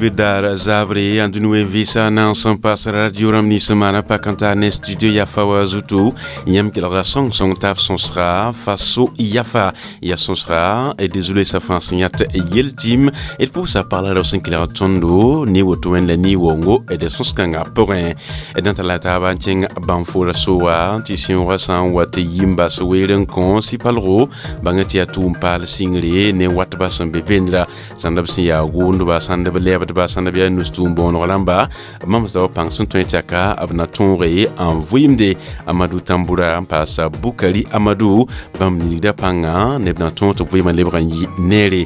Sibir zabre andunue visa na sẽn pas radio rãmb nins n maana pak n tar ne studio yafa wa zutu. Yãmb kelgda sõng-sõng tab sõsga faso yafa ya sõsga d zulesa fãa sẽn yãt yel-tɩm d pʋʋsa pagla rao sẽn kelg tõndo ne woto wẽnd la ne-wongo d sõs-kãngã pʋgẽ. D na n tara la taaba n kẽng bãnfoora soa tɩ sẽoogã sã n wa tɩ yi n bas weer n kõ sɩ-palgo bãng tɩ yaa tʋʋm paal sɩngre ne watba sẽn be bendra sãnd b sẽn yaa gʋʋndba, sãnd b lɛɛbdba, sãnd b yaa nus-tʋʋm bõoneg rãmba mamsda wa pãng sẽn tõe tɩ b na tõoge n vɩɩmde. Amadou Tamboura n paasa Bukari Amadou bãmb ningda pãnga neb na tõog tɩ b vɩɩmã lebg n yɩ neere.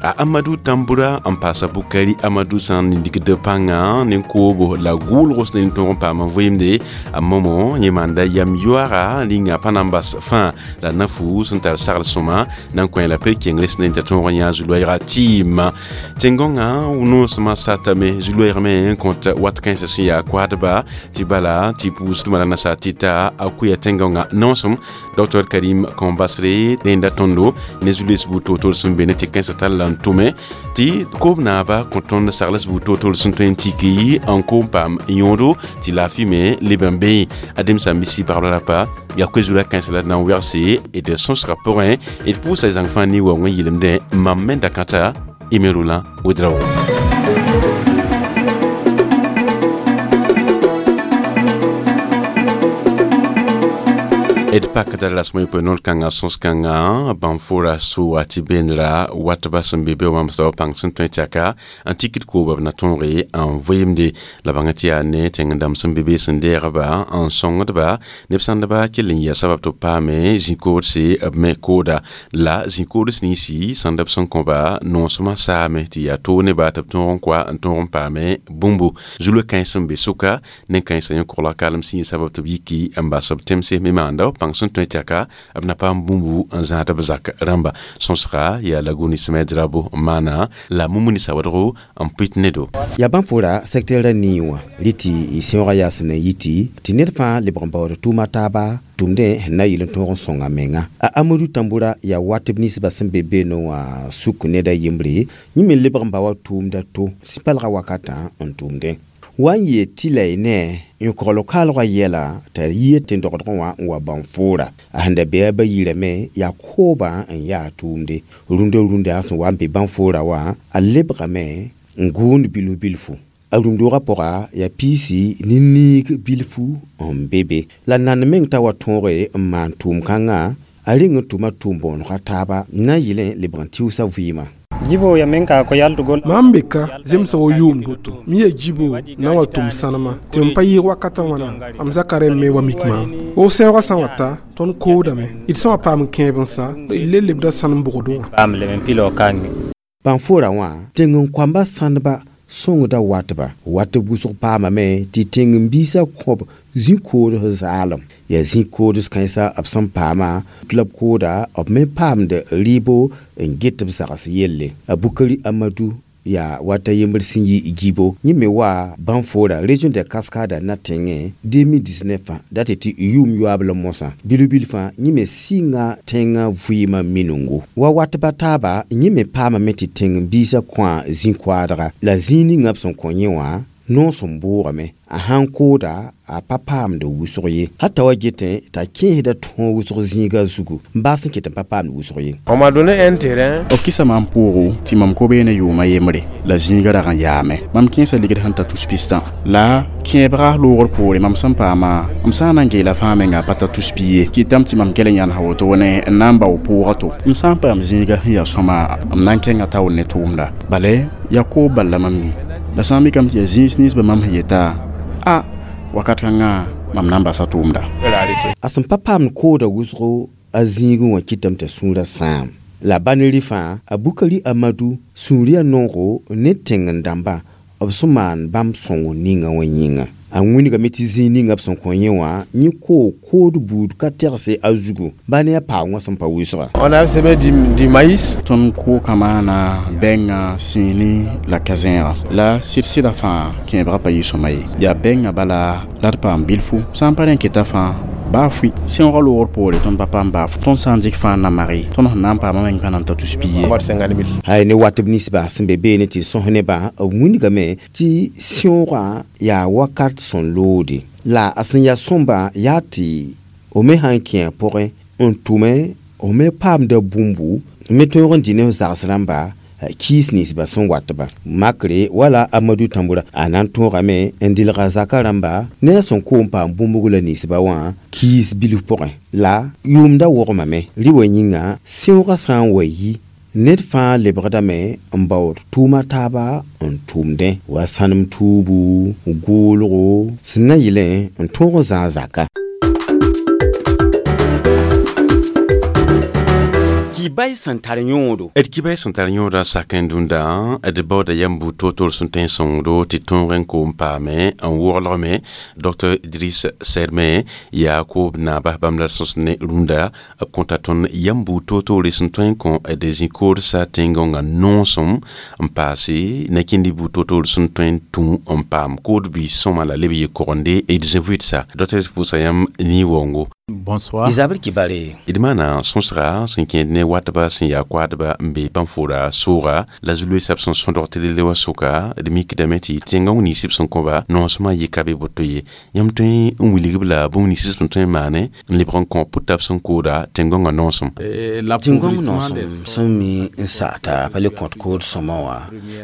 A Amadou Tamboura n paasa Bukari Amadou sã n ningd pãnga ne koobo la gʋʋlg sẽn ne tõog n paam n vɩɩmde. A momo yẽ maanda yam yoaga ninga pa na n bas fãa la nafu sẽn tar sagl sõma na n kõ la pe kengre sẽn t'a tõog n yã zu-loɛɛga tɩɩm tẽn-gõngã noosmã satame zu-loɛɛg me n kõt wat kãensã sẽn yaa koadba tɩ bala tɩ pʋʋsdmã la nasaar tɩta a kʋya tẽn-gõngã noosem. Dr Karim Kõn-basre rẽnda tõndo ne zu-loees buud toor-toor sẽn be ne tɩ kãensã tall la n tʋme tɩ koob naaba kõ tõnd sagls buud toor-toor sẽn tõe n tiki n koom paam yõodo tɩ laafɩ me leb n bee adem sãn-bisi pagb la rapa yaa koe-zura kãensã la d na n wegse d sõsgã pʋgẽ. D pʋʋsa zãng fãa ne-waoong n yɩlemdẽ mam me dakãta Imerula Ouedraogo. D pakda rasmã yopoe noor kãngã sõs-kãngã bãnfora soa tɩ bendra watba sẽn be be wã mamsda wa pãng sẽn tõe tɩ n tikd kooba b na tõoge n vɩɩmde la bãnga tɩ yaa ne tẽng-dãmb sẽn be be sẽn deegba n sõngdba neb sãndba kell n yɩa sabab tɩ b paame zĩ-koodse b me kooda la zĩ-koods ninsi sãnd b sẽn kõba noosmã saame tɩ yaa toog neba tɩ b tõog n koa n tõog n paame bũmbu zu-loe-kãens sẽn be sʋka nen-kãensã yẽ kogla kalem sẽn yɩ sabab tɩ b yiki n bas b tẽmse me maanda pãng sẽn tõe tɩ b na paam bũmbu n zãad b zak rãmba. Sõsga yaa laguni sẽm drabo n maana la mumuni sawadgo n pʋɩt nedo. Yaa bãnfora secteur a nii wã rɩ tɩ y sẽoogã yaa sẽn na n yɩ tɩ ned fãa lebg n baood tʋʋma taaba tʋmdẽ sẽn na yɩl n tõog n sõnga menga. A Amadou Tamboura yaa watb ninsbã sẽn be beene wã suk ned a yembre yẽ me lebg n ba wa tʋʋmda to sɩ-palgã wakatã n tʋʋmdẽ wa n yee tɩ la y ne n kogl kaalgã yɛla t'a yɩ tẽn-dogdgẽ wã n wa bãn-foora a sẽn da bee a ba yirame yaa koobã n yaa tʋʋmde rũndã rũndã sẽn wa n be bãn-foora wã a lebgame n gʋʋnd bilf bilfu a rũndogã pʋga yaa piisi ne niig bilfu n be be la nan meng t'a wa tõoge n maan tʋʋm-kãngã a reng n tʋma tʋʋm bõonega taaba na n yɩlẽ lebg n tɩʋsa vɩɩmã. Jibo ya men ka ko yaltugol. Mam be ka zemsa wo yʋʋm doto mi ya jibo na wa tʋm sãnema tɩ m pa yɩɩg wakatã wãna m zaka rẽmb me wa mik maam o sẽoogã sã n wa ta tõnd koodame d sã wa paam n kẽeb n sa d le lebda sãnem bʋgdẽ wã. Paam leb n pilo kange. Bãn-foora wã tẽng n koamba sãndba sõngda watba watb wʋsg paamame tɩ tẽng-n-biisã kõb zĩ-koods zaalem yaa zĩ-koods kãensã b sẽn paama la b kooda b me paamd rɩɩbo n get b sags yelle. A Bukari Amadou yaa wata yembr sẽn yi gibo yẽ me wa bãn-foora région de Cascada na tẽngẽ 2019 dat tɩ yʋʋm yoaab la mosã bilf-bilfã yẽ me sɩnga tẽngã vɩɩmã minengo wa watba taaba yẽ me paamame tɩ tẽng-n-biisã kõa zĩ-koaadga la zĩig ninga b sẽn kõ yẽ wã noos n bʋʋgame a sãn kooda a pa paamd wʋsg ye hatta wa getẽ t'a kẽesda tõog wʋsg zĩiga zugu n baas n ket n pa paamd wʋsg ye. On m'a donné un terrain. B kɩsa maam pʋʋgo tɩ mam kobeene yʋʋmã yembre la zĩiga rag n yaame mam kẽesa ligd sẽn ta tus pistã la kẽebga loogr poore mam sẽn paama m sã n na n geela fãa menga pa ta tus pi ye kɩtame tɩ mam kell n yãnesa wotone n na n bao pʋʋga to m sã n paam zĩiga sẽn yaa sõma m na n kẽnga taoor ne tʋʋmda bala yaa koob bal la mam mi la sã n mikame tɩ yaa zĩis ninsbã mam sẽn yeta a wakat kãngã mam na n basa tʋʋmda. A sẽn pa paamd kooda wʋsgo a zĩigẽ wã kɩtame t'a sũurã sãam la ba-ne fãa a Bukari Amadou sũur yaa noogo ne tẽng-n-dãmbã b sẽn maan bãmb sõngo ninga wã yĩnga a wĩnigame tɩ zĩig ninga b sẽn kõ yẽ wã yẽ koog kood buud ka tegse a zugu ba ne a paoongã sẽn pa wʋsga. On a semé du maïs. Tõnd kooka maana bɛngã sĩini la ka-zẽega la sɩd-sɩda fãa kẽebgã pa yɩ sõma ye yaa bɛngã bala la d paam bilfu sã n pa rẽ keta fãa Baa fʋɩ sẽoogã loogr poore tõnd pa paam baa tõnd sã n dɩk fãa n na mage tõnd sẽn na n paamã meng pa na n ta tus pi ye. Hay ne watb ninsbã sẽn be beene tɩ sõs nebã b wilgame tɩ sẽoogã yaa wakat sẽn loode la a sẽn yaa sõmba yaa tɩ f me sãn kẽ a pʋgẽ n tʋme f me paamda bũmbu me tõog n dɩ ne f zags rãmba kiis ninsbã sẽn watba makre wala Amadu Tãmbura a na n tõogame n dɩlga zaka rãmba ne a sẽn koom paam bũmbg la ninsba wã kiis bilf pʋgẽ la yʋʋmda wogmame rɩ wa yĩnga sẽoogã sã n wa yi ned fãa lebgdame n baood tʋʋma taaba n tʋʋmdẽ wa sãnem tuubu goolgo sẽn na yɩlẽ n tõog n zãag zaka. Kibay sẽn tar yõodo. D kibay sẽn tar yõoda sak n dũnda d baooda yam buud toor-toor sẽn tõe n sõngdo tɩ tõog n koom paame n woglgme Dr Idris Serme yaa koob naaba bãmb la d sõs ne rũndã b kõta tõnd yam buud toor-toore sẽn tõe n kõ d zĩ-koodsa tẽn-gõngã noosem n paase nakĩndi buud toor-toor sẽn tõe n tũ n paam kood biis sõma la leb yɩ kogende d zĩ-vɩɩdsa Dr pʋʋsa yãmb nii-waoongo. Bonsoir. Isabel Kibare. D maana sõsga sẽn kẽed ne watba sẽn yaa koadba n be pãn-fora sooga la zu-loeesã b sẽn sõdg tɩ lele wa sʋka d mikdame tɩ tẽngã nins b sẽn kõba noosmã yɩka be boto ye yãmb tõe n wilg-b la bũmb nins b sẽn tõe n maane n lebg n kõ pʋta b sẽn kooda tẽn-gõngã noosem. Tẽn-gõng noosem sẽn mi n sa'ata pa le kõt kood sõma wã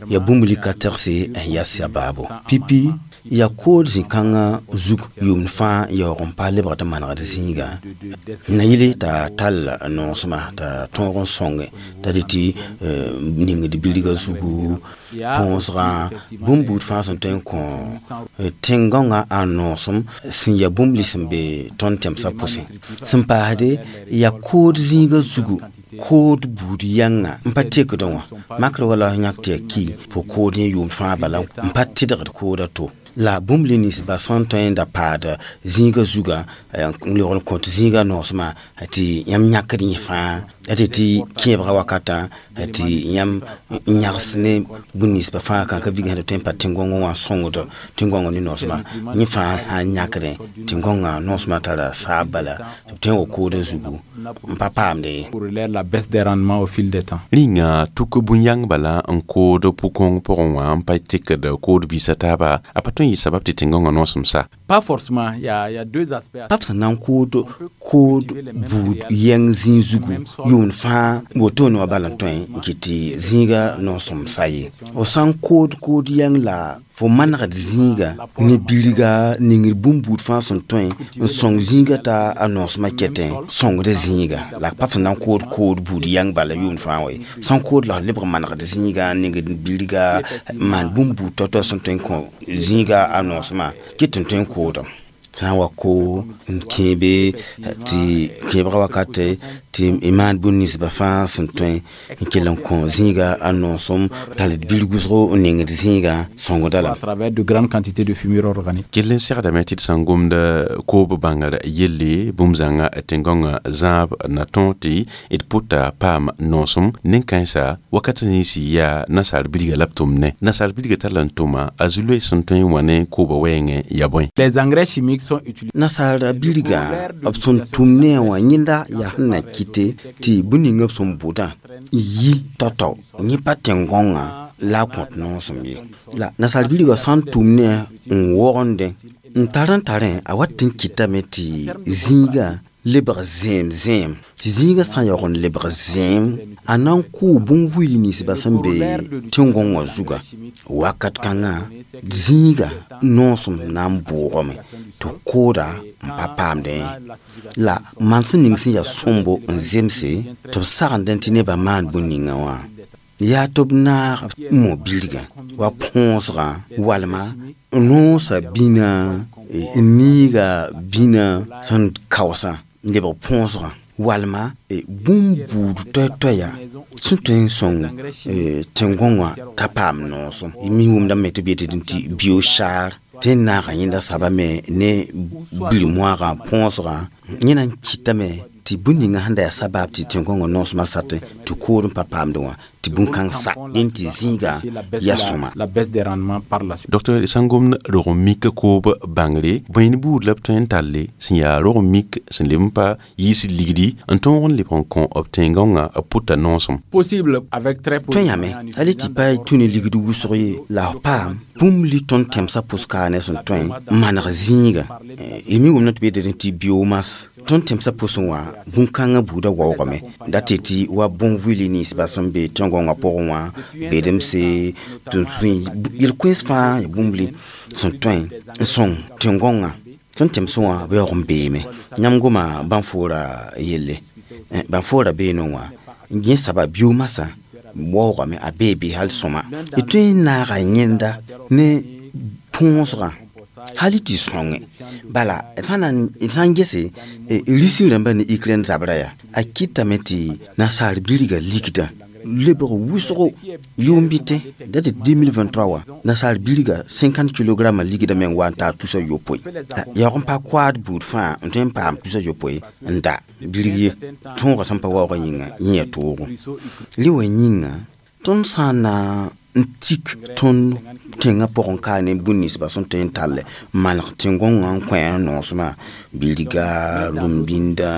yaa bũmb lika tɛgse n yaa sabaabo pipi yaa kood zĩ-kãngã zug yʋʋmd fãa yaoog n pa lebgd n manegd zĩiga na yɩle t'a tall noosmã t'a tõog n sõnge t'a dɩ tɩ ningd bilgã zugu põosgã bũmb buud fãa sẽn tõe n kõ tẽn-gõngã a noosem sẽn yaa bũmb lis sẽn be tõnd tẽmsã pʋsẽ sẽn paasde yaa kood zĩigã zugu kood buud yãnga n pa tekdẽ wã makr wala f yãk tɩ yaa ki fo kood yẽ yʋʋmd fãa bala n pa tɩdgd kooda to la bũmb le ninsba sẽn tõe n da paad zĩigã zugã n lebg n kõt zĩigã noosmã tɩ yãmb yãkd yẽ fãa tɩ tɩ kẽebgã wakatã tɩ yãmb yãgs ne bũmb ninsba fãa kãn ka vig sẽn tõe n pa tẽn-gõngẽ wã sõngd tẽn-gõngã ne noosmã yẽ fãa sãn yãkdẽ tẽn-gõngã noosmã tara saab bala tɩ b tõe n wa koodã zugu n pa paamde ye. La baisse des rendements au fil des temps. Rĩnga tuk bũn-yãng bala n kood pʋ-kõng pʋgẽ wã n pa tekd kood biisã taaba a pa tõe n yɩ sabab tɩ tẽn-gõngã noosem sa. Pas forcément, il y a deux aspects. Pa b sẽn na n kood kood buud yɛng zĩig zugu yʋʋmd fãa wotone wã bala n tõe n kɩt tɩ zĩiga noosem sa ye. F sã n kood kood yɛng la fo manegd zĩiga ne bilga ningr bũmb buud fãa sẽn tõe n sõng zĩiga t'a a noosmã kɛtẽ sõngd zĩiga la pa b sẽn na n kood kood buud yãng bala yʋʋmd fãa wa ye sã n kood la f lebg manegd zĩiga ningd bilga maan bũmb buud tao-tao sẽn tõe n kõ zĩiga a noosmã kɩt n tõe n koodame sã n wa ko n kẽebe tɩ kẽebgã wakate tɩ y maan bũmb ninsbã fãa sẽn tõe n kell n kõ zĩiga a noosem tall bil wʋsgo n nengd zĩiga sõngda lame. À travers de grandes quantités de fumure organique. Kell n segdame tɩ d sã n gomd koob bãngr yelle bũmb zãnga tẽn-gõngã zãab na tõog tɩ d pʋta paam noosem nen-kãensa wakat ninsi yaa nasaar bilga la b tʋmdẽ nasaar bilga tara n tʋma a zu-loees sẽn tõe n wa ne koobã wɛɛngẽ ya bõe. Les engrais chimiques sont utilisés. Nasaara bilgã b sẽn tʋm ne a wã yẽnda yaa sẽn na kɩte tɩ bũmb ninga b sẽn bʋdã n yi tao-tao yẽ pa tẽn-gõngã la a kõt noosem ye la nasaar bilgã sã n tʋm ne n wogendẽ n tar n tarẽ a wat n kɩtame tɩ zĩigã lebg zẽem zẽem tɩ zĩigã sã n yaoog n lebg zẽem a na n kʋʋ bũn-vʋɩl ninsbã sẽn be tẽn-gõngã zugã wakat kãngã zĩiga noosem na n bʋʋgame tɩ kooda n pa paamdẽ la mansem ning sẽn yaa sõmbo n zemse tɩ b sagendẽ tɩ nebã maan bũn ninga wã yaa tɩ b naag mo bilgã wa põosgã walma noosã bĩna n niiga bĩna sẽn kaoosã n lebg põosgã walma bũmb buud toɛ-toɛya sẽn tõe n sõng tẽn-gõngã t'a paam noosem mi wʋmdame tɩ b yetɩ tɩ biochar tɩ n naagã yẽnda sabame ne bil-moagã põosgã yẽ na n kɩtame tɩ bũmb ninga sẽn da yaa sabab tɩ tẽn-gõngã noosmã satẽ tɩ kood n pa paamdẽ wã Tɩ bũn-kãng sa dẽn tɩ zĩiga yaa sõma. La baisse des rendements par la suite. Docteur, sãn gomd rog n mik koob bãngre, bõe ne buud la b tõe n talle sẽn yaa rog n mik sẽn leb n pa yiis ligdi n tõog n leb n kõ b tẽn-gãongã b pʋta noosem? Possible avec très peu. Tõe yame hal tɩ pa tũ ne ligd wʋsg ye la f paam bũmb li tõnd tẽmsã pʋs-kaane sẽn tõe n maneg zĩiga. Y mi wʋmna tɩ b yeelame tɩ biomasse tõnd tẽmsã pʋsẽ wã bũn-kãngã buudã waoogame dat tɩ wa bõn-vɩɩl ninsbã sẽn be tẽn-gãongã pʋgẽ wã bedemse tɩ yel-koees fãa ya bũmb li sẽn tõe n sõng tẽn-gãongã tõnd tẽmsẽ wã b yaoog n beeme. Yãmb goma bãn-foora yelle, bãn-foora beene wã yẽ saba biomasã waoogame, a bee be hal sõma d tõe n naaga yẽnda ne põosgã hal tɩ sõnge. Bala d sã n gese risi rãmbã ne Ukraine zabra yaa a kɩtame tɩ nasaar birga ligdã lebg wʋsgo yʋʋm bɩtẽ dat 2023 wã nasaar birga 50 kg ligdã meng wa n taa 300. Yaoog n pa koaad buud fãa n tõe n paam 300 n da birg ye tõogã sẽn pa waoogã yĩnga yẽ yaa toogo rẽ wã yĩnga. Tõnd sã n na n tik tõnd tẽngã pʋgẽ ka ne bũn ninsbã sẽn tõe n tall maneg tẽn-gõngã n kõ a noosmã bilga rũm-bĩndã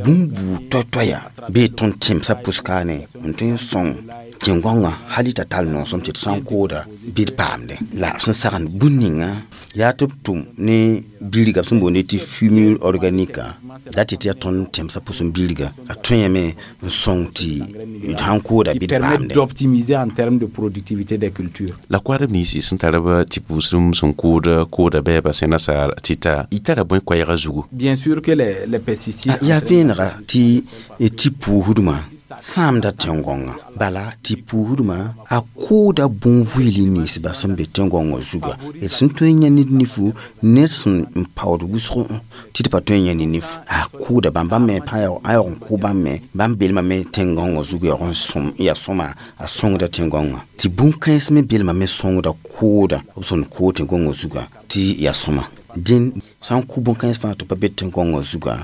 bũmb buud toay-toaya bee tõnd tẽmsã pʋs-kaane n tõe n sõng tẽn-gõngã hal t'a tall noosem tɩ d sã n kooda bɩ d paamde la b sẽn sagend bũn ninga yaa tɩ b tʋm ne birga b sẽn boonde tɩ fumure organique dat tɩ yaa tõnd tẽmsã pʋsẽ birga a tõeme n sõng tɩ d sãn kooda bɩ d paamde. D'optimiser en termes de productivité des cultures. La koadb ninsi sẽn tar b tɩ pʋʋsdem sẽn kood kooda bɛɛba sẽn nasaar tɩ ta y tara bõe koɛɛgã zugu? Bien sûr que les pesticides yaa vẽenega tɩ tɩ puusdmã sãamda tẽn-gõngã bala tɩ puusdmã a kooda bõn-vɩɩl ninsbã sẽn be tẽn-gõngã zuga d sẽn tõe n yã ned nifu ned sẽn n paood wʋsg tɩ d pa tõe n yã ne nif a kooda bãmb bãmb me a yaoog n kʋ bãmb me bãmb belmame tẽn-gõngã zug yaoog n sõm yaa sõma a sõngda tẽn-gõngã tɩ bũn-kãens me belmame sõngda kooda b sẽn kood tẽn-gõngã zuga tɩ yaa sõma. Dẽn sã n kʋ bũn-kãens fãa tɩ pa be tẽn-gõngã zuga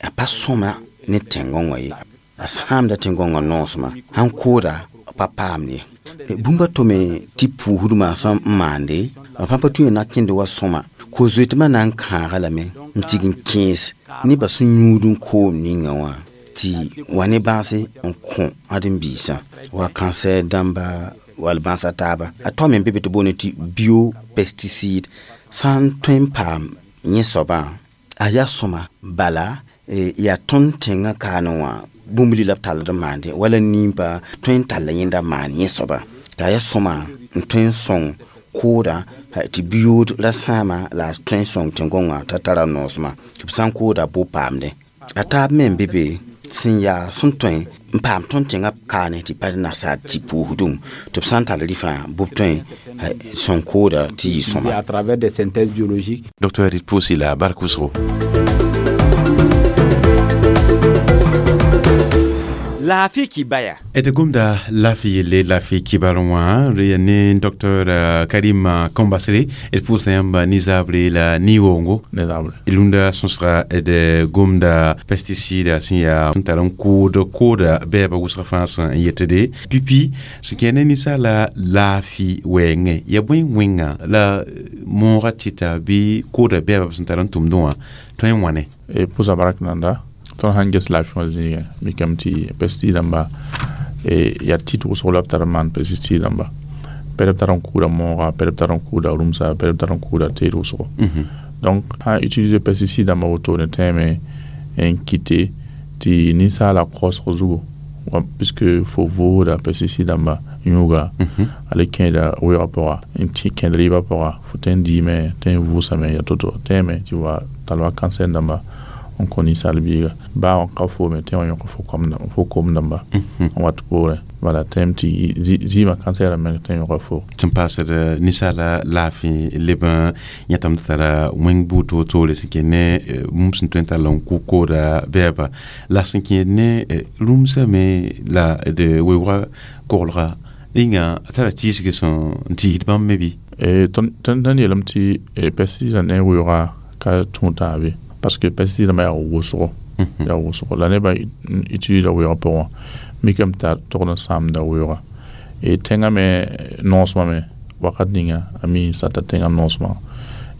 a pa sõma ne tẽn-gõngã ye, a sãamda tẽn-gõngã noosmã sãn kooda pa paam ye. Bũmba to me tɩ puusdmã sẽn maande b pãn pa tũ na kẽnd wa sõma ko-zoetmã na n kãaga lame n tig n kẽes nebã sẽn yũud n koom ninga wã tɩ wa ne bãase n kõ ãdem-biisã wa cancer dãmba wall bãasa taaba. A taoome n be be tɩ boonde tɩ biopesticide sã n tõe n paam yẽ soabã a yaa sõma bala yaa tõnd tẽngã kaane wã bũmb li la b tall d n maande wala nimbã tõe n talla yẽnda maan yẽ soaba t'a yaa sõma n tõe n sõng kooda tɩ bi-yood ra sãama la a tõe n sõng tẽn-gõngã t'a tara noosmã tɩ b sã n kooda bo paamde. A taab me n be be sẽn yaa sẽn tõe n paam tõnd tẽngã kaane tɩ pa nasaar tɩ puusdum tɩ b sã n tall rɩfã bʋ b tõe sõng kooda tɩ yɩ sõma. À travers des synthèses biologiques. Docteur d pʋʋsi la bark wʋsgo. Laafɩ kibaya. D gomda laafɩ yelle laafɩ kibar wã re ne docteur Karim Kambasre d pʋʋsda yãmb nizabre la ni-woongo. Ne zabre. Rũndã sõsga d gomda pesticide sẽn yaa sẽn tar n kood kooda bɛɛba wʋsg fãa sẽn yetde pipi sẽn kẽ ne ninsaala laafɩ wɛɛngẽ ya bõe wẽnga la moogã tɩta bɩ kooda bɛɛba b sẽn tar n tʋmdẽ wã tõe n wãne? Pʋsa bark nanda tõnd sãn ges laafɩ wã zĩigẽ mikame tɩ pesticide dãmba yaa tit wʋsg la b tar n maan pesticide dãmba pɛd b tar n kʋʋda mooga, pɛd b tar n kʋʋda rũmsa, pɛd b tar n kʋʋda teed wʋsgo. Donc sã n utiliser pesticide dãmba wotone tẽeme n kɩte tɩ ninsaala kaoosg zugu puisque fo vʋʋsda pesticide dãmba yũuga a le kẽeda weoogã pʋga n tɩ kẽed rɩɩbã pʋga fo tõe n diime tõe n vʋʋsame ya to-to tẽeme tɩ wa tall wa cancer dãmba n kõ ninsaal biiga baa n ka foome tẽ wã yõk fo kom dãmba n wat poorẽ wala tẽem tɩ zɩɩmã cancer meng tẽ yõka fo. Sẽn paasd ninsaala laafɩ leb n yãtame t'a tara wẽng buud toor-toore sẽn kẽ ne bũmb sẽn tõe n tall n kʋ kooda bɛɛba la sẽn kẽed ne rũmsã me la d weoogã koglga rĩnga a tara tiisg sẽn tiisd bãmb me bɩ? Tõnd yeelame tɩ pesticide ne weoogã ka tũud taabe parce que pesticide dãmbã yaa wʋsgo la nebã utilise weoogã pʋgẽ Mikame t'a togd n sãamda weooga. E tẽngã me noosmã me wakat ninga a mi n sata tẽngã noosmã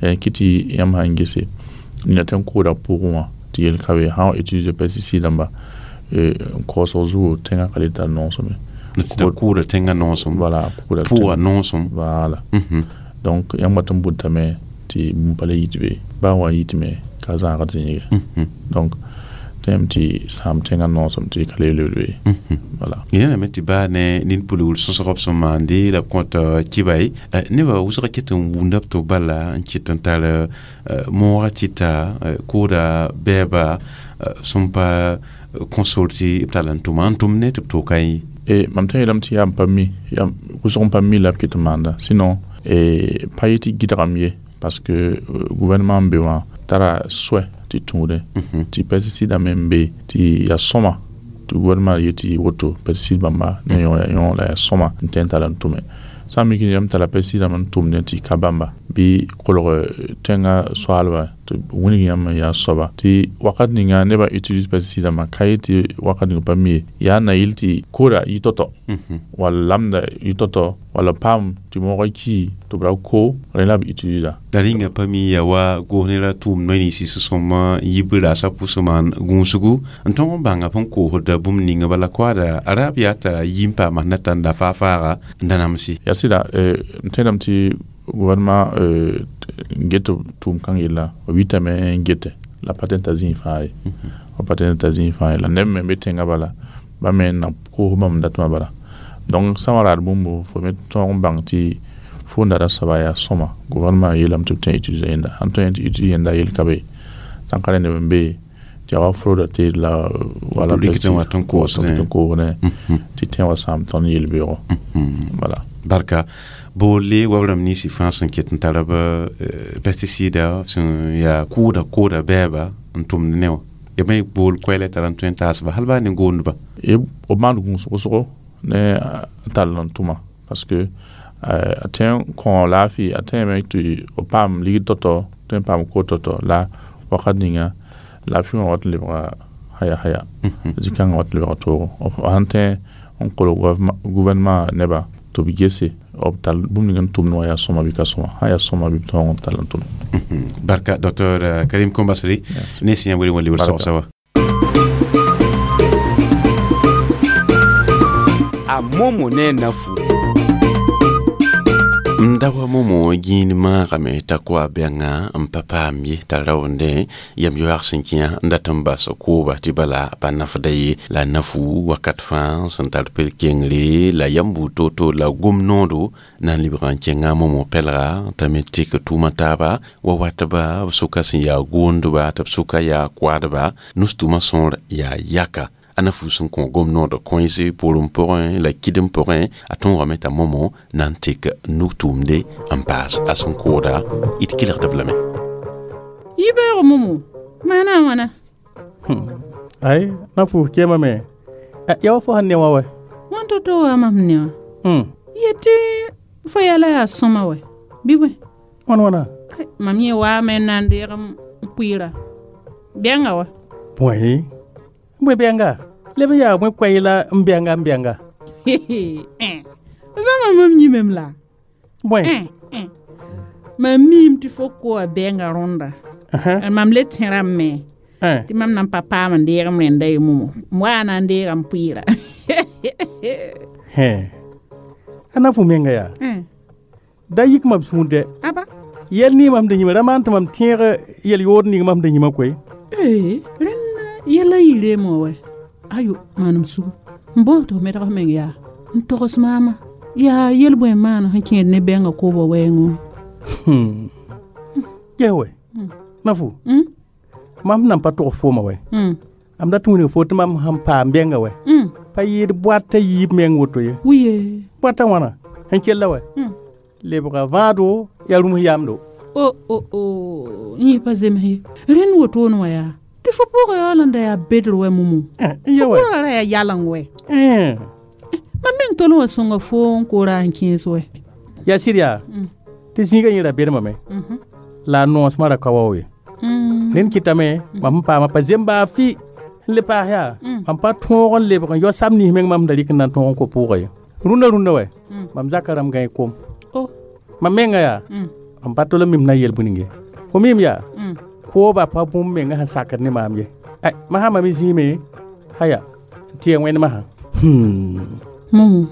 n kɩ tɩ yãmb sãn gese nina tẽn kooda pʋgẽ wã tɩ yel ka be sã wa utiliser pesticide dãmba n kaoosg zugu tẽngã ka le tar noosem ye. Kʋʋda tẽngã noosem. Voilà, kʋʋda pʋga noosem. Voilà. Donc yãmb wat n bʋtame tɩ bũmb pa le yit be baa wa yitme ka zãagd zĩige. Donc tẽem tɩ sãam tẽngã noosem tɩ ka le lebd be. Voilà. Yẽname tɩ baa ne nin-pulgr sõsg b sẽn maande la b kõt kɩba ye nebã wʋsg ket n wunda b tɩ b bala n kɩt n tar moogã tɩta kooda bɛɛba sẽn pa kõ sor tɩ b tall n tʋma n tʋm ne tɩ b toka ye. E mam tõe yeelame tɩ yaa n pa mi wʋsg n pa mi la b ket n maanda, sinon e pa yetɩ gɩdgame ye, parce que gouvernement n be wã tara soɛ tɩ tũudẽ tɩ pesticide me n be tɩ yaa sõma tɩ gouvernement yetɩ woto pesticide bãmba ne yõ la yaa sõma n tõe n tall n tʋme. Sã n mik yãmb tara pesticide n tʋmdẽ tɩ ka bãmba bɩ kolg tẽngã soaalba tɩ wilg yãmb n yaa soaba tɩ wakat ninga nebã utilise pesticide dãmbã ka yetɩ wakat ning pa mi ye yaa na yɩl tɩ koda yɩ tɔ-tɔ wall lamda yɩ tɔ-tɔ walla paam tɩ moogã ki tɩ b ra ko rẽ la b utilisa. La rĩnga pa mi ya wa goos ne ra tʋʋm noy ninsi sẽn sõm yib raasã pʋsẽ maan gũusgu n tõg n bãnga p n koosda bũmb ninga bala koaada araab yaa t'a yi n paama sẽn na tãnda faa-faaga n da namsi. Yaa sɩda, m tẽedame tɩ gouvernement get tʋʋm kãng yella b yitame n gete la pa tõe n ta zĩig fãa ye, b pa tõe n ta zĩig fãa ye la neb me n be tẽngã bala ba me n na koos bãmb datmã bala. Donc sã n wa raad bũmbo fo me tõog n bãng tɩ fo n dara soaba yaa sõma gouvernement yeelame tɩ b tõe n utiliser yẽnda sãn tõe tɩ utiliser yẽnda yel ka be sãn ka rẽ neb n be tɩ yaa wa frauda tɩ la wala n koosdẽ tɩ tẽ wa sãam tõnd yel-beoogo. Voilà. Barka boole wab rãmb ninsi fãa sẽn ket n tar b pesticida sẽn yaa kʋʋda kooda bɛɛba n tʋmd ne wã ya me bool koɛɛla tara n tõe n taasba hal baa ne goondba. B maan gũus wʋsgo ne a tall n tʋma parce que a tõe n kõ laafɩ a tẽeme tɩ b paam ligd tɔ-tɔ tõe n paam kood tɔ-tɔ la wakat ninga laafɩ wã wat n lebga haya haya zĩ-kãngã wat n lebga toogo sãn tõe n kolg gouvernement neba tɩ b gese b tall bũmb ning n tʋmd wã yaa sõma bɩ ka sõma sã yaa sõma bɩ b tõog n tall n tʋm. Barka docteur Karim Kombasri ne sẽn yã wele wã lebr sogsa wa. A momo ne nafu. N da wa momo gĩin maagame t'a koa bɛngã n pa paam ye t'a raoondẽ yam yoaag sẽn kẽ n dat n bas kooba tɩ bala pa nafda ye la nafu wakat fãa sẽn tar pel-kengre la yam buud to-to la gom noodo na n lebg n kẽnga momo pɛlga t'a me tek tʋʋma taaba wa watba b sʋka sẽn yaa goondba tɩ b sʋka yaa koadba nus-tʋma sõor yaa yaka a na fu sẽn kõ gom noodã kõense pʋrem pʋgẽ la kɩdem pʋgẽ a tõogame t'a momo na n tek nug-tʋʋmde n paas a sẽn kooda d kelgd-b lame. Yibeoogo momo maana a wãna? Ay na fu kẽemame ya wa fo sẽn ne wã wɛ wãn to-to wa mam ne wã yetɩ fo yɛla yaa sõma wɛ bɩ bõe wãn wãna mam yẽ waame n na n deeg n pʋɩɩra bɛnga wa bõe bõe bɛnga leb n yaa bõe koɛy la n bɛnga n bɛnga zãma mam yĩmem la bõe mam miime tɩ fo koa bɛnga rõnda mam le tẽrame me tɩ mam na n pa paam n deeg m rẽnda ye momo m waa na n deega n pʋɩɩra. A na fo menga yaa da yik mam sũur dɛ aba yɛl ning mam da yĩma ra maan tɩ mam tẽeg yɛl yood ning mam da yĩma koe. Rẽnna yɛla yireem wã wɛ ayo maanem sugu n boos tɩ f medg f meng yaa n togs maama yaa yel-bõe n maan sẽn kẽed ne bɛngã koobã wɛɛngẽ wã. Ges wɛ na fo mam nan pa tog fooma wɛ am dat n wilg fo tɩ mam sẽn paam bɛnga wɛ pa yɩɩd boata yiib meng woto ye wiye boata wãna sẽn kella wɛ lebga vãado yaa rũms yaamdo. O o o yẽ pa zems ye rẽnd wotone wã yaa tɩ fo pʋgã yaool n da yaa bedr wɛ momo fo pʋgã ra yaa yaleng wɛ mam meng tol n wa sõnga fo n koora n kẽes wɛ. Yaa sɩd yaa tɩ zĩigã yẽ ra bedmame la a noosmã ra ka wao ye rẽnd kɩtame mam sẽn paama pa zembaa fɩ n le paas yaa Mam pa tõog n lebg n yao sab nins meng mam da rɩk n na n tõog n ko pʋʋga ye. Rũndã rũndã wɛ, mam zaka rãmb gãe kom. Mam menga yaa, mam pa tol n mim na yel bũning ye. Fo mim yaa, kooba pa bũmb menga sẽn sakd ne maam ye. Ay, masã mam zĩime, haya, n tɩ ya wẽnd masã. Momo.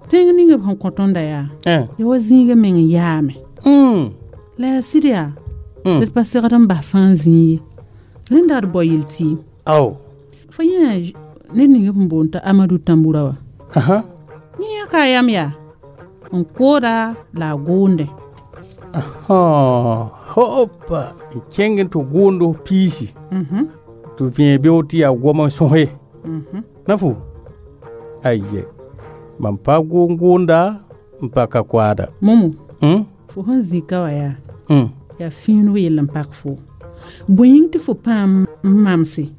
Tẽng ning b sẽn kõ tõnda yaa, ya wa zĩigã meng n yaame. La yaa sɩd yaa, d pa segd n bas fãa zĩig ye. Rẽnda d bao yel-tɩɩm. Ao. Fo yẽ ned ning b sẽn boond t'a Amadu Tambura wã. Yẽ yãka a yam yaa, n kooda la a goondẽ. Hopa, n kẽng n tɩ gʋʋnd piisi. Tɩ vẽe beoog tɩ yaa gom n sõse. Na fu? Aye. Mam pa gʋʋn-gʋʋnda n pa ka koaada. Momo. Fo sẽn zĩ ka wã yaa, yaa fĩineg yell n pak fo. Bõe yĩng tɩ fo paam n mamse?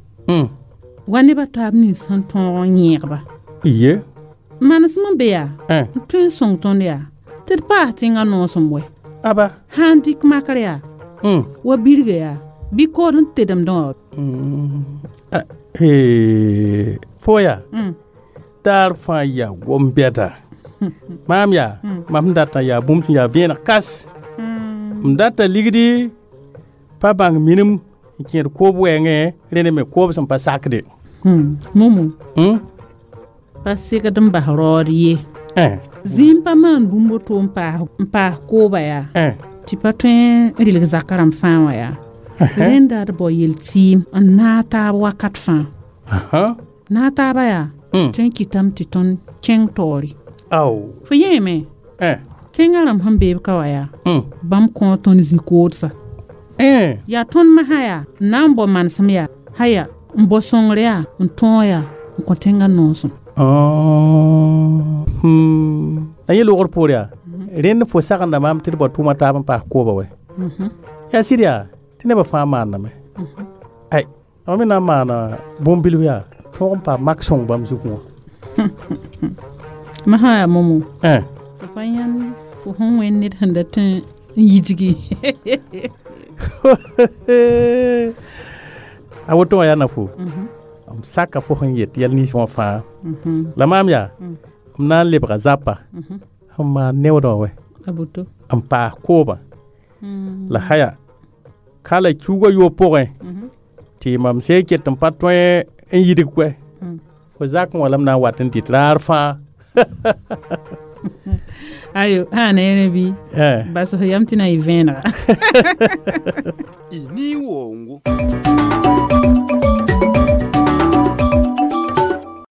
Wa nebã taab nins sẽn tõog n yẽegba. Ye. Manesem n be yaa, n tõe n sõng tõnd yaa, tɩ d paas tẽngã noosem wɛ. Aba. Sã n dɩk makr yaa, wa birga yaa, bɩ kood n tedemdẽ wã. Fo yaa, taar fãa yaa gom-bɛda. Maam yaa, mam sẽn datã yaa bũmb sẽn yaa vẽeneg kas. M data ligdi pa bãng minim n kẽed koob wɛɛngẽ, rẽnd me koob sẽn pa sakde. Momo. Pa segd n bas raood ye. Zĩim pa maan bũmb woto n paas kooba yaa, tɩ pa tõe n rɩlg zakã rãmb fãa wã yaa. Rẽnda d bao yel-tɩɩm n naag taab wakat fãa. Naag taaba yaa, tõe n kɩtame tɩ tõnd kẽng taoore. Fo yẽeme, tẽngã rãmb sẽn beeb ka wã yaa, bãmb kõo tõnd zĩ-koodsa. Yaa tõnd masã yaa, n na n bao manesem yaa, haya, n bao sõngr yaa, n tõog yaa, n kõ tẽngã noosem. La yẽ loogr poor yaa, rẽnd fo sagenda maam tɩ d bao tʋʋma taab n paas kooba wɛ. Yaa sɩd yaa, tɩ nebã fãa maandame. Ay, mam me na n maana bũmb-bilf yaa, tõog n paam mak sõng bãmb zugẽ wã. Masã yaa momo. Fo pa yãnd fo sẽn wẽnd ned sẽn dat n yidgi. A woto wã yaa na fo. M saka fo sẽn yet yɛl nins wã fãa. La maam yaa, m na n lebga zapa sẽn maan neoodã wã wɛ. N paas koobã. La haya, ka la kiuugã yoob pʋgẽ, tɩ mam sẽn ket n pa tõe n yidg koɛ. Fo zakẽ wã la m na n wat n dɩt raar fãa. Ayo, sã neere bɩ bas f yam tɩ na yɩ vẽenega. Ni wongo.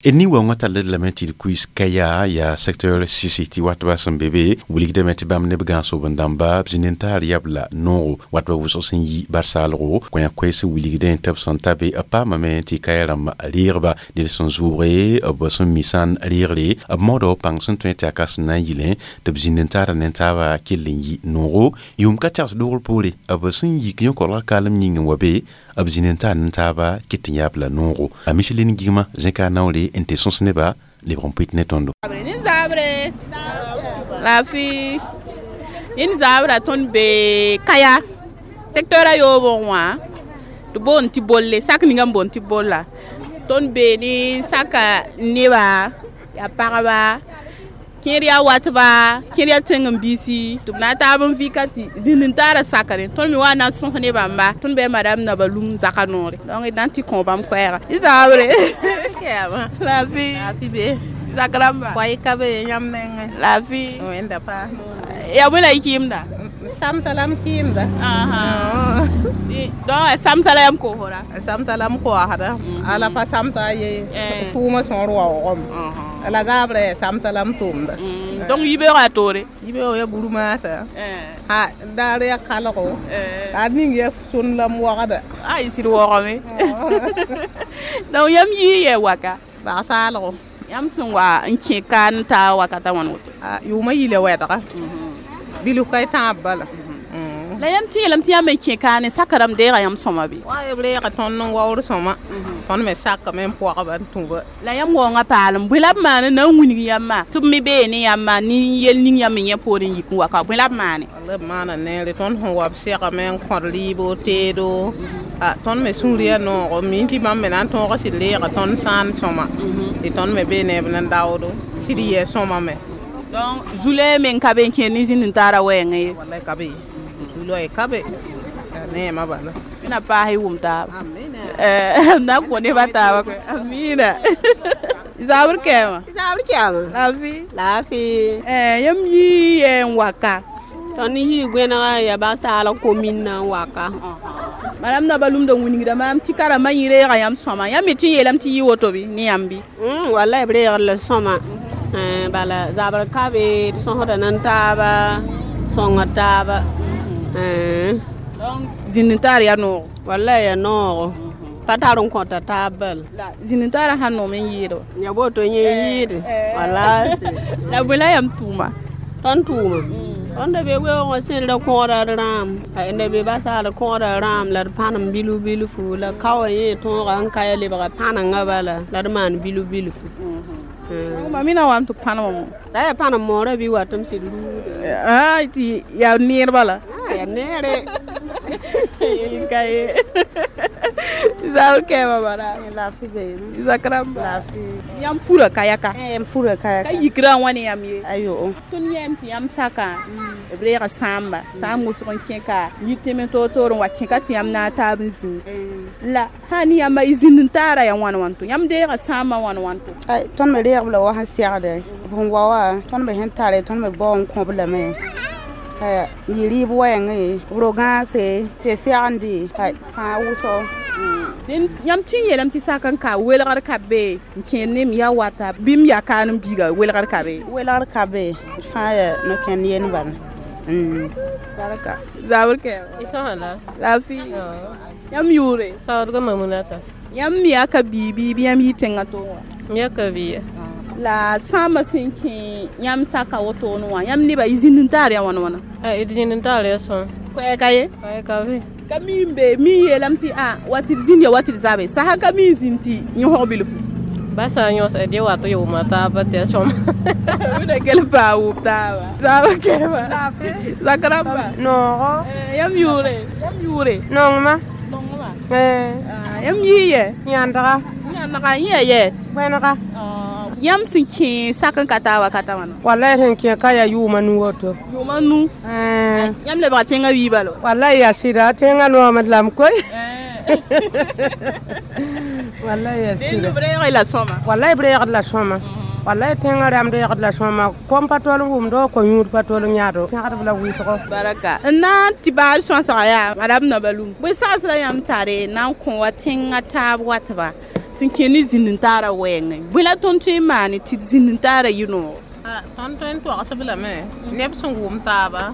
Ni waoongã tall d lame tɩ d kuiis kaya yaa secteur sisi tɩ watba sẽn be be wilgdame tɩ bãmb neb gãas-soben-dãmba b zĩ nentaar yab la noogo watba wʋsg sẽn yi bar-saalgo kõ koɛɛs wilgdẽ tɩ b sẽn ta be b paamame tɩ kaya rãmb reegba ned sẽn zʋʋge b sẽn mi sã n reegre b maooda pãng sẽn tõe tɩ yaa ka sẽn na n yɩlẽ tɩ b zĩ nentaarã nentaabã kell n yi noogo yʋʋm ka tags doogr poore b sẽn yik yõ-korgã kaalem yĩng n wa be b zĩ nentaar nentaabã ket n yaab la noogo a Micheline Gigma zẽka naoore n tɩ sõs nebã lebg n pʋɩt ne tõndo. Nin-zaabre laafɩ nin-zaabra tõnd be kaya secteur a yoobg wã tɩ boond tɩ bolle sak ninga n boond tɩ bolla tõnd bee ne saka neba yaa pagba kẽer yaa watba kẽer yaa tẽng n biisi tɩ b na n taab n vɩka tɩ zĩnd n taara sakre tõnd me wa na n sõs ne bãmba tõnd bɩ madame Nabalum zaka noore donc d na n tɩ kõ bãmb koɛɛga zabre laafɩ zak rãmba koɛɛ ka be yãmb nengẽ laafɩ wẽnda paas yaa bõe la y kɩɩmda samsa la m kɩɩmda donc samsa la yãmb koosda samsa la m koasda ala pa samsa ye tʋʋmã sõor waoogame la zaabrã samsa la m tʋʋmda donc yibeoogã yaa toore yibeoog yaa burmaasa ha daar yaa kalgo la ning yaa sõn la m wagda a y sɩd waoogame donc yãmb yii yɛ waka bag-saalgo yãmb sẽn wa n kẽ ka n ta wakata wãn woto yʋʋmã yila wɛdga bilf ka y tãab bala La yãmb tɩ yeelame tɩ yãmb n kẽ kaane saka rãmb deega yãmb sõma bɩ? Wa b reega tõnd n waood sõma. Tõnd me sakame n pɔgba n tũ-ba. La yãmb waoongã paalem bõe la b maane na n wilg yãmbã tɩ b me bee ne yãmbã ne yel ning yãmb me yẽ poorẽ n yik n wa ka bõe la b maane? La b maana neere tõnd sẽn wa b segame n kõd rɩɩbo teedo A tõnd me sũur yaa noogo mi tɩ bãmb me na n tõog sɩd reega tõnd sãan sõma tɩ tõnd me bee ne b nan daoodo sɩd yɩ sõma me. Donc zule men ka be n kẽer ne zĩnd n taara wɛɛngẽ ye. Wallahi ka be zulɛ ka be neema bala. Wẽna paas y wʋm taaba na n kõ nebã taaba koe. Amina. Zabr kɛɛma. Zabr kɛɛma. Laafɩ. Laafɩ. Yãmb yii n waka. Tõnd yii goẽnega ya basaala komin na n waka. Madame Nabalum da wĩnigda maam tɩ karembã yẽ reega yãmb sõma. Yãmb me tɩ n yeelame tɩ yɩ woto bɩ ne yãmb bɩ? Wallahi b reegd la sõma. Bala zabr ka be d sõsda nan taaba sõngd taaba. Donc zĩnd n taar yaa noogo. Wallahi yaa noogo. Pa tar n kõta taab bala. La zĩnd n taarã sãn noom n yɩɩd wa. Ya woto yẽ yɩɩde. Wallahi. La bõe la yãmb tʋʋma? Tõnd tʋʋma. Tõnd da be weoogã sẽdra kõoda d rãam. Da be basaal kõoda rãam la d pãnem bilf bilfu la kaoã yẽ tõoga n ka ya lebga pãnengã bala la d maan bilf bilfu. Ma mina wam tɩ pãnemã mo. La yaa pãnem moorã bɩ wat m sɩd ruude. Tɩ yaa neer bala. Yaa neere. Ka ye. Zabr kɛɛmã bara. Laafɩ beeme. Zakramba. Laafɩ. Yãmb fura kayaka. Yãmb fura kayaka. Ka yikrã wã ne yãmb ye. Ayo. Tõnd yãem tɩ yãmb saka b reega sãamba sãam wʋsg n kẽ ka yɩ tẽm toor-toor n wa kẽka tɩ yãmb na n taab n zĩi la sã ne yãmba y zĩnd n taara yaa wãn wãnto yãmb deega sãambã wãn wãnto. Tõnd me reeg b la wa sẽn segde b sẽn wa wã tõnd me sẽn tare tõnd me bao n kõ b lame. Yɩ rɩɩb wɛɛngẽ b ro-gãase tɩ segende fãa wʋsgo. Dẽn yãmb tɩ n yeelame tɩ sak n ka welgr ka be n kẽer ne m yaa wata bɩ m yaa kaan n biiga welgr ka be. Welgr ka be d fãa yaa no-kẽnd yend bala. Barka. Zabr kɛɛma. Laafɩ. Yãmb yʋʋre? Saoodga Mamunata. Yãmb me yaa ka bii bɩ yãmb yɩ tẽngã toog wã? M yaa ka bia. La sãambã sẽn kẽ yãmb saka wotone wã yãmb nebã y zĩnd n taar yaa wãn wãna? D zĩnd n taar yaa sõm. Koɛɛga ye? Koɛɛg ka be. Ka mi n be mi n yeelame tɩ wa tɩ d zĩnd ya wa tɩ d zabe sasa ka mi n zĩnd tɩ yõsg bilfu. Ba sã n yõs d ye wat yʋʋma taaba tɩ yaa sõma. Wẽna kell n paa wʋm taaba. Zabr kɛɛma. Zak rãmba. Noogo. Yãmb yʋʋre? Yãmb yʋʋre? Nongma. Nongma. Yãmb yii yɛ? Yãndga. Yãndga yẽ yaa yɛ? Wẽnega. Yãmb sẽn kẽ sak n ka taa wakata wãna? Wallahi sẽn kẽ ka yaa yʋʋma nu woto. Yʋʋma nu? Yãmb lebga tẽngã wiiba la? Wallahi yaa sɩda tẽngã noomd lame koe. Wallahi yaa sɩda. B reeg la sõma? Wallahi b reegd la sõma. Wallahi tẽngã rãmb reegd la sõma. Kom pa tol n wʋmdo, ko-yũud pa tol n yãado. Pẽgdb la wɩsgo. Baraka. N na n tɩ baag sõsga yaa madame Nabalum. Bõe sags la yãmb tare na n kõ wa tẽngã taab watba sẽn kẽ ne zĩnd n taara wɛɛngẽ bõe la tõnd tõe n maane tɩ d zĩnd n taara yɩ noogo? Tõnd tõe n toagsb lame neb sẽn wʋm taaba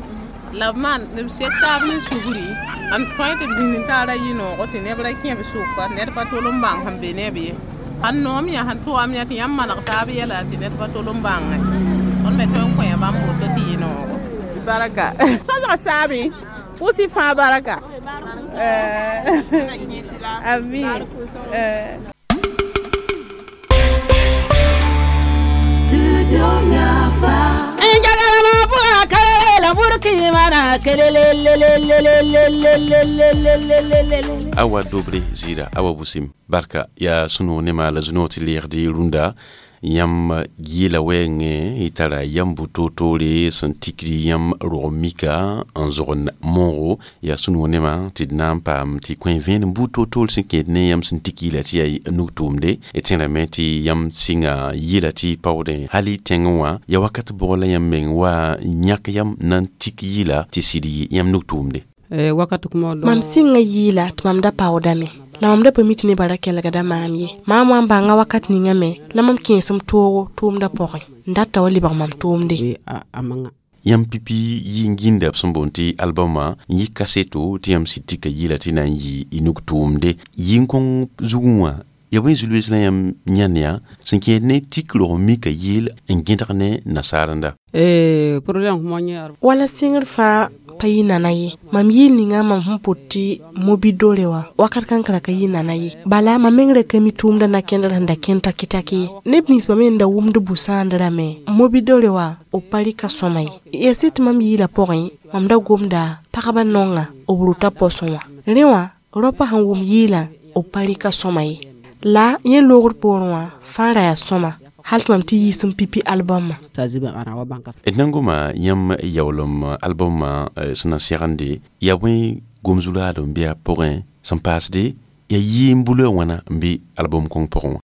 la b maan b sek taab ne sugri n tõe tɩ b zĩnd n taara yɩ noogo tɩ neb ra kẽ b sʋka ned pa tol n bãng sẽn be ne b ye. Sãn noom yã sẽn tʋgam yã tɩ yãmb maneg taab yɛla tɩ ned pa tol n bãngẽ. Tõnd me tõe n kõ bãmb woto tɩ yɩ noogo. Baraka. Sõsga saame pʋʋs-y fãa baraka. Ami. Awa dobre zira awa busim barka ya sũnoog nema la zũnoog tɩ leegd rũndã yãmb yɩla wɛɛngẽ y tara yãmb bu-toor-toore sẽn tikd yãmb rog mika n zogend moogo yaa sũnoog nema tɩ d na n paam tɩ kõ vẽenem buud toor-toor sẽn kẽed ne yãmb sẽn tik yɩla tɩ yaa nug-tʋʋmde d tẽrame tɩ yãmb sɩnga yɩla tɩ paoodẽ hali tẽngẽ wã ya wakat bʋg la yãmb meng wa yãk yam na n tik yɩla tɩ sɩd yɩ yãmb nug-tʋʋmde. Mam sɩnga yɩɩla tɩ mam da paoodame la mam da pa mi tɩ nebã ra kelgda maam ye. Maam wã n bãnga wakat ninga me la mam kẽesem toogo tʋʋmdã pʋgẽ n data wa lebg mam tʋʋmde. Yãmb pipi yɩ n gĩnda b sẽn boond tɩ albɔmã n yɩ kaseto tɩ yãmb sɩd tika yɩla tɩ na n yɩ y nug-tʋʋmde yɩ n kõng zugẽ wã ya bõe zulbs la yãmb yãnd yã sẽn kẽed ne tik rog mika yeel n gẽdg ne nasaarenda. Wala sɩngr fãa pa yɩ nana ye. Mam yɩɩl ninga mam sẽn pʋt tɩ mobidore wã wakat kãnkra ka yɩ nana ye. Bala mam meng ra ka mi tʋʋmdã na-kẽndr sẽn da kẽnd taki-taki ye. Neb ninsbã me n da wʋmd bu-sãandrã me mobidore wã b pa rɩka sõma ye. Ya sɩd tɩ mam yɩɩla pʋgẽ mam da gomda pagba nonga b rʋta posẽ wã. Rẽ wã Rõpa sẽn wʋm yɩɩlã b pa rɩka sõma ye. La yẽ loogr poorẽ wã fãa ra yaa sõma hal tɩ mam tɩ yiis n pipi albɔmã. D na n goma yãmb yaoolem albɔmã sẽn na segende yaa bõe gom-zulaadem bɩ a pʋgẽ sẽn paasde ya yɩɩm bula wãna n be album kõng pʋgẽ wã?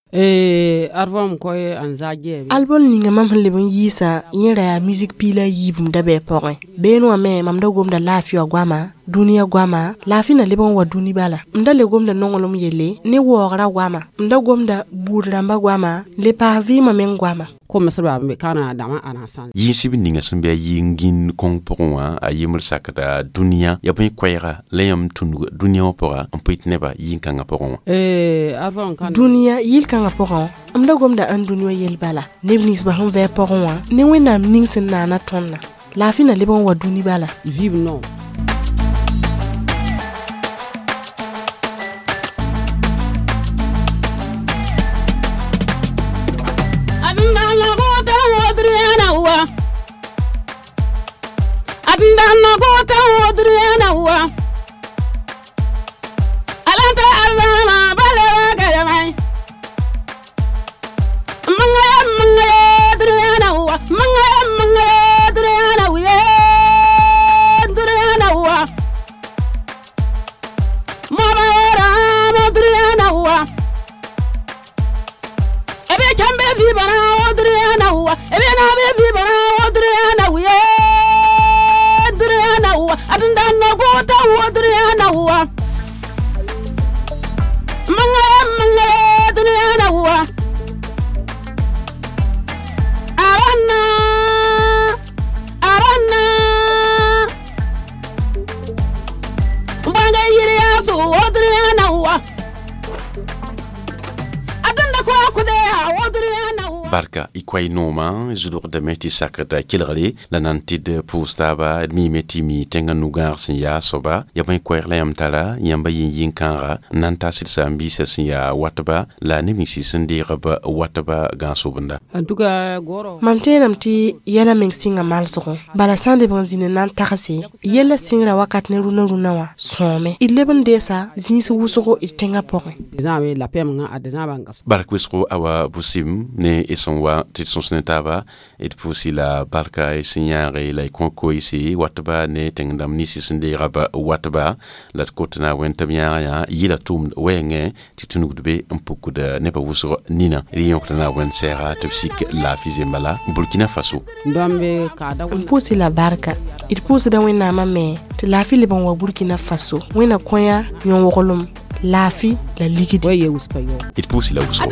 Album ninga mam sẽn leb n yiisã yẽ ra yaa musique piila a yiibum da bɩ a pʋgẽ. Beene wã me mam da gomda laafɩ wã goama, dũniyã goama, laafɩ na leb n wa dũni bala. M da le gomda nonglem yelle ne waoogra goama, m da gomda buud rãmba goama, n le paas vɩɩmã meng goama. Yĩnsb ninga sẽn be a yɩ n gĩnd kõng pʋgẽ wã a yembr sakda dũniyã ya bõe koɛɛga la yãmb tũnug dũniyã wã pʋga n pʋɩt nebã yĩn-kãngã pʋgẽ wã? Dũniyã yɩl-kãngã pʋgẽ m da gomda ãn dũni wã yell bala. Neb ninsbã sẽn vɩ a pʋgẽ wã ne Wẽnnaam ning sẽn naana tõndã. Laafɩ na leb n wa dũni bala. Barka y koay noomã zʋdgdame tɩ sakda kelgre la nan tɩ d pʋʋs taaba d miime tɩ mi tẽngã nu-gãag sẽn yaa soaba ya bõe koɛɛg la yãmb tara yãmba yĩn-yĩn-kãaga n na n ta sɩd saam-biisã sẽn yaa watba la neb nins sẽn deeg b watba gãag-sobenda. Mam tẽedame tɩ yɛla meng sɩnga malsgõ bala sã n leb n zĩnd n na n tagse yella sɩngrã wakat ne rũnã rũnã wã sõome d leb n deesa zĩis wʋsgo d tẽngã pʋgẽ. Bark wʋsgo awa bʋsɩm ne y sẽn wa tɩ d sõs ne taaba d pʋʋsi la barka y sẽn yãage la y kõ koeese watba ne tẽng dãmb ninsi sẽn deega b watba la d kot na wẽn tɩ b yãaga yã yɩla tʋʋmd wɛɛngẽ tɩ tũnugd be n pukd nebã wʋsg nina d yõkda na wẽnd sɛɛga tɩ b sik laafɩ zemba la Burkina Faso. N pʋʋsi la barka d pʋʋsda Wẽnnaamã me tɩ laafɩ leb n wa Burkina Faso Wẽnna kõya yõ-woglem laafɩ la ligdi. D pʋʋsi la wʋsgo.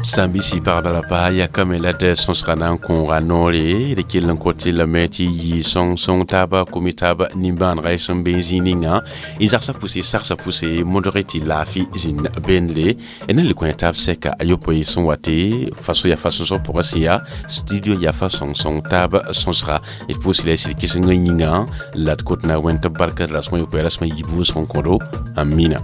Sãn-biisi pagba la pa yakame la d sõsga na n kõoga noore d kell n kot lame tɩ yɩ sõng-sõng taaba komi taaba nimbãanega y sẽn be n zĩig ninga y zagsã pʋse sagsã pʋse modge tɩ laafɩ zĩnd bendre d na le kõ taab sɛka a yopoe sẽn wa tɩ faso yaa fa sõsg pʋgã sẽn yaa studio yaa fa sõng-sõng taab sõsga d pʋʋs la y sɩd kɩsengã yĩnga la d kot na wẽnd tɩ barka d rasmã yopoe rasmã yiib wʋsg n kõdo amina.